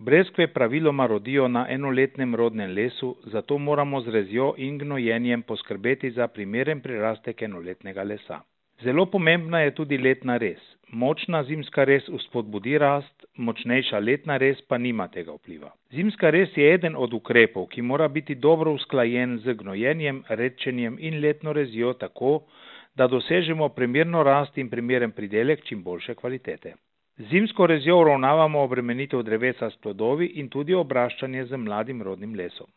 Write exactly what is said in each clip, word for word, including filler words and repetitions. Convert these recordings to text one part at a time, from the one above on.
Breskve praviloma rodijo na enoletnem rodnem lesu, zato moramo z rezjo in gnojenjem poskrbeti za primeren prirastek enoletnega lesa. Zelo pomembna je tudi letna rez. Močna zimska rez vzpodbudi rast, močnejša letna rez pa nima tega vpliva. Zimska rez je eden od ukrepov, ki mora biti dobro usklajen z gnojenjem, redčenjem in letno rezjo tako, da dosežemo primerno rast in primeren pridelek čim boljše kvalitete. Zimsko rezjo uravnavamo obremenitev drevesa s plodovi in tudi obraščanje z mladim rodnim lesom.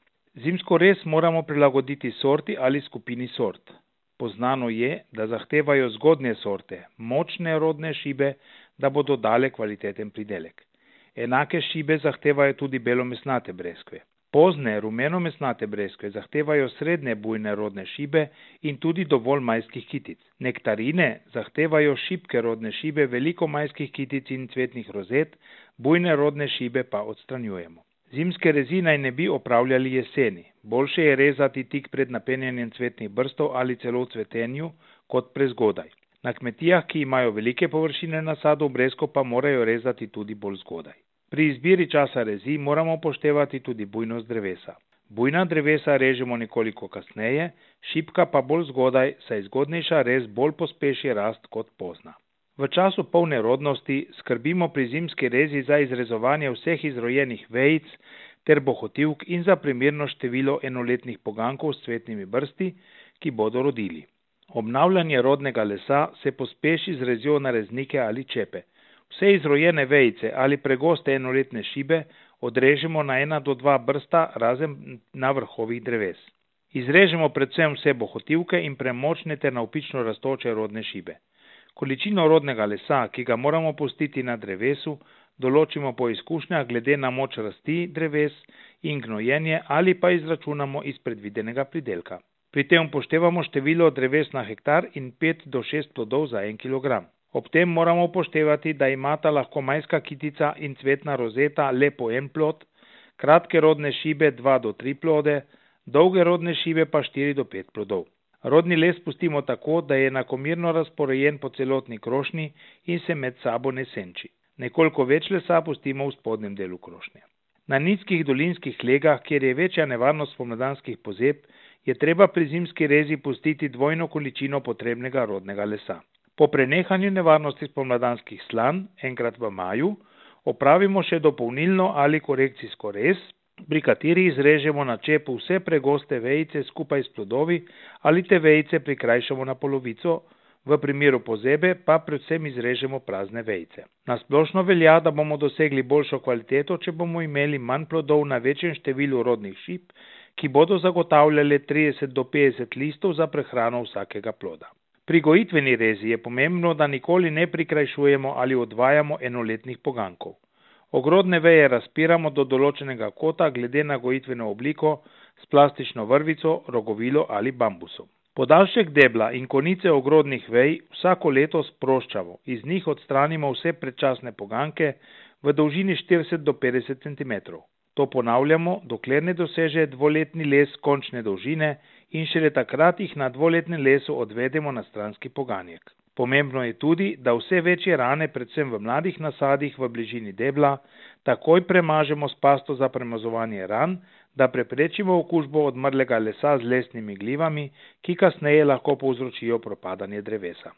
Zimsko rez moramo prilagoditi sorti ali skupini sort. Poznano je, da zahtevajo zgodnje sorte, močne rodne šibe, da bodo dale kvaliteten pridelek. Enake šibe zahtevajo tudi belomesnate breskve. Pozne rumenomesnate breskve zahtevajo srednje bujne rodne šibe in tudi dovolj majskih kitic. Nektarine zahtevajo šibke rodne šibe, veliko majskih kitic in cvetnih rozet, bujne rodne šibe pa odstranjujemo. Zimske rezi naj ne bi opravljali jeseni. Boljše je rezati tik pred napenjanjem cvetnih brstov ali celo v cvetenju kot prezgodaj. Na kmetijah, ki imajo velike površine nasadov breskov, pa morajo rezati tudi bolj zgodaj. Pri izbiri časa rezi moramo upoštevati tudi bujnost drevesa. Bujna drevesa režemo nekoliko kasneje, šibka pa bolj zgodaj, saj zgodnejša rez bolj pospeši rast kot pozna. V času polne rodnosti skrbimo pri zimski rezi za izrezovanje vseh izrojenih vejic ter bohotivk in za primerno število enoletnih pogankov s cvetnimi brsti, ki bodo rodili. Obnavljanje rodnega lesa se pospeši z rezjo na reznike ali čepe. Vse izrojene vejice ali pregoste enoletne šibe odrežemo na ena do dva brsta razen na vrhovih dreves. Izrežemo predvsem vse bohotivke in premočne ter navpično rastoče rodne šibe. Količino rodnega lesa, ki ga moramo pustiti na drevesu, določimo po izkušnjah glede na moč rasti dreves in gnojenje ali pa izračunamo iz predvidenega pridelka. Pri tem upoštevamo število dreves na hektar in pet do šest plodov za en kilogram. Ob tem moramo upoštevati, da imata lahko majska kitica in cvetna rozeta le po en plod, kratke rodne šibe dva do tri plode, dolge rodne šibe pa štiri do pet plodov. Rodni les pustimo tako, da je enakomerno razporejen po celotni krošnji in se med sabo ne senči. Nekoliko več lesa pustimo v spodnjem delu krošnje. Na nizkih dolinskih legah, kjer je večja nevarnost spomladanskih pozeb, je treba pri zimski rezi pustiti dvojno količino potrebnega rodnega lesa. Po prenehanju nevarnosti spomladanskih slan, enkrat v maju, opravimo še dopolnilno ali korekcijsko rez, pri kateri izrežemo na čepu vse pregoste vejice skupaj s plodovi ali te vejice prikrajšamo na polovico, v primeru pozebe pa predvsem izrežemo prazne vejice. Na splošno velja, da bomo dosegli boljšo kvaliteto, če bomo imeli manj plodov na večjem številu rodnih šip, ki bodo zagotavljale trideset do petdeset listov za prehrano vsakega ploda. Pri gojitveni rezi je pomembno, da nikoli ne prikrajšujemo ali odvajamo enoletnih pogankov. Ogrodne veje razpiramo do določenega kota glede na gojitveno obliko s plastično vrvico, rogovilo ali bambusom. Podaljšek debla in konice ogrodnih vej vsako leto sproščamo, iz njih odstranimo vse predčasne poganke v dolžini štirideset do petdeset centimetrov. To ponavljamo, dokler ne doseže dvoletni les končne dolžine in šele takrat jih na dvoletnem lesu odvedemo na stranski poganjek. Pomembno je tudi, da vse večje rane, predvsem v mladih nasadih v bližini debla, takoj premažemo s pasto za premazovanje ran, da preprečimo okužbo odmrlega lesa z lesnimi glivami, ki kasneje lahko povzročijo propadanje drevesa.